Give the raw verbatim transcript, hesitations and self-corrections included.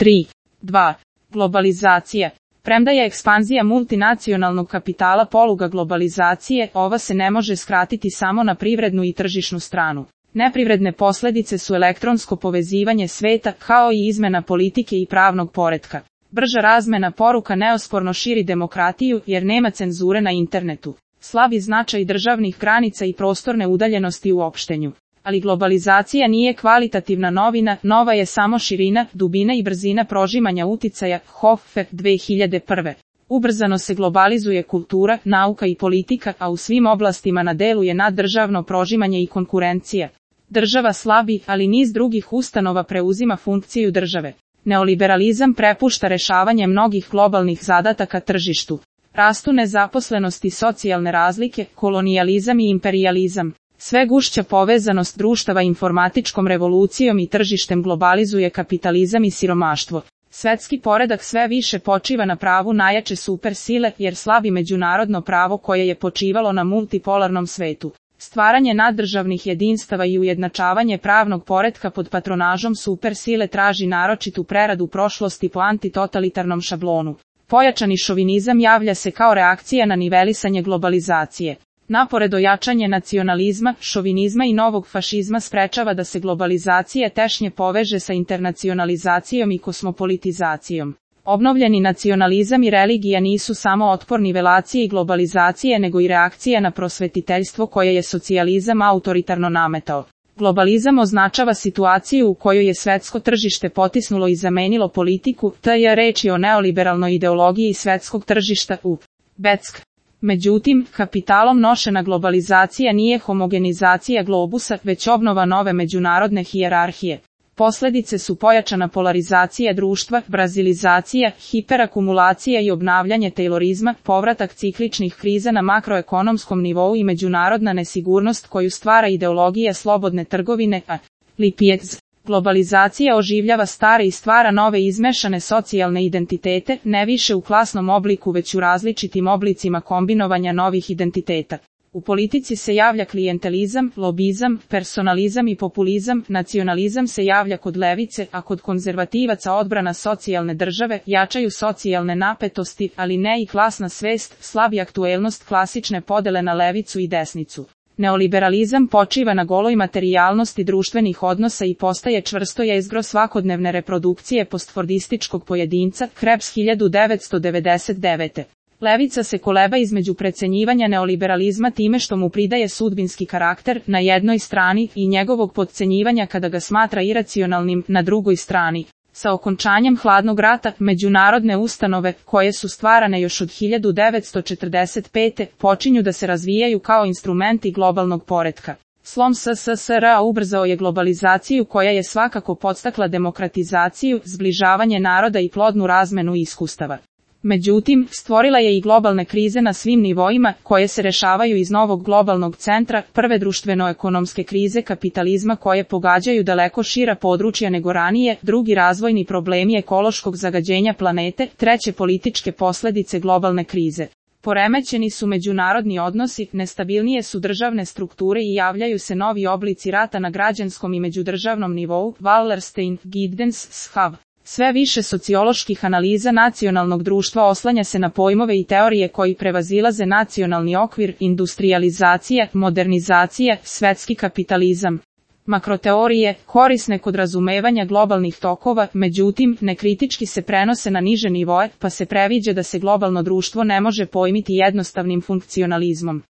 tri. dva. Globalizacija. Premda je ekspanzija multinacionalnog kapitala poluga globalizacije, ova se ne može skratiti samo na privrednu i tržišnu stranu. Neprivredne posledice su elektronsko povezivanje sveta, kao i izmena politike i pravnog poretka. Brža razmena poruka neosporno širi demokratiju, jer nema cenzure na internetu. Slabi značaj državnih granica i prostorne udaljenosti u opštenju. Ali globalizacija nije kvalitativna novina, nova je samo širina, dubina i brzina prožimanja uticaja, Hoffe, dve hiljade prve. Ubrzano se globalizuje kultura, nauka i politika, a u svim oblastima na delu je naddržavno prožimanje i konkurencija. Država slabi, ali niz drugih ustanova preuzima funkciju države. Neoliberalizam prepušta rešavanje mnogih globalnih zadataka tržištu. Rastu nezaposlenost i socijalne razlike, kolonijalizam i imperijalizam. Sve gušća povezanost društava informatičkom revolucijom i tržištem globalizuje kapitalizam i siromaštvo. Svetski poredak sve više počiva na pravu najjače supersile, jer slabi međunarodno pravo koje je počivalo na multipolarnom svetu. Stvaranje naddržavnih jedinstava i ujednačavanje pravnog poretka pod patronažom supersile traži naročitu preradu prošlosti po antitotalitarnom šablonu. Pojačani šovinizam javlja se kao reakcija na nivelisanje globalizacije. Napored ojačanje nacionalizma, šovinizma i novog fašizma sprečava da se globalizacija tešnje poveže sa internacionalizacijom i kosmopolitizacijom. Obnovljeni nacionalizam i religija nisu samo otpor nivelacije i globalizacije nego i reakcija na prosvetiteljstvo koje je socijalizam autoritarno nametao. Globalizam označava situaciju u kojoj je svetsko tržište potisnulo i zamenilo politiku, te je reč o neoliberalnoj ideologiji svetskog tržišta u Beck. Međutim, kapitalom nošena globalizacija nije homogenizacija globusa, već obnova nove međunarodne hijerarhije. Posledice su pojačana polarizacija društva, brazilizacija, hiperakumulacija i obnavljanje taylorizma, povratak cikličnih kriza na makroekonomskom nivou i međunarodna nesigurnost koju stvara ideologija slobodne trgovine, a Lipjez. Globalizacija oživljava stare i stvara nove izmešane socijalne identitete, ne više u klasnom obliku već u različitim oblicima kombinovanja novih identiteta. U politici se javlja klijentelizam, lobizam, personalizam i populizam, nacionalizam se javlja kod levice, a kod konzervativaca odbrana socijalne države, jačaju socijalne napetosti, ali ne i klasna svest, slabi aktuelnost klasične podele na levicu i desnicu. Neoliberalizam počiva na goloj materijalnosti društvenih odnosa i postaje čvrsto jezgro svakodnevne reprodukcije postfordističkog pojedinca, Krebs hiljadu devetsto devedeset devete. Levica se koleba između precenjivanja neoliberalizma time što mu pridaje sudbinski karakter na jednoj strani i njegovog potcenjivanja kada ga smatra iracionalnim na drugoj strani. Sa okončanjem hladnog rata, međunarodne ustanove, koje su stvarane još od hiljadu devetsto četrdeset pete. počinju da se razvijaju kao instrumenti globalnog poretka. Slom S S S R ubrzao je globalizaciju koja je svakako podstakla demokratizaciju, zbližavanje naroda i plodnu razmenu iskustava. Međutim, stvorila je i globalne krize na svim nivoima, koje se rešavaju iz novog globalnog centra, prve društveno-ekonomske krize kapitalizma koje pogađaju daleko šira područja nego ranije, drugi razvojni problemi ekološkog zagađenja planete, treće političke posledice globalne krize. Poremećeni su međunarodni odnosi, nestabilnije su državne strukture i javljaju se novi oblici rata na građanskom i međudržavnom nivou, Wallerstein, Giddens, Schav. Sve više socioloških analiza nacionalnog društva oslanja se na pojmove i teorije koji prevazilaze nacionalni okvir, industrijalizacija, modernizacija, svetski kapitalizam. Makroteorije, korisne kod razumevanja globalnih tokova, međutim, nekritički se prenose na niže nivoe, pa se previđa da se globalno društvo ne može pojmiti jednostavnim funkcionalizmom.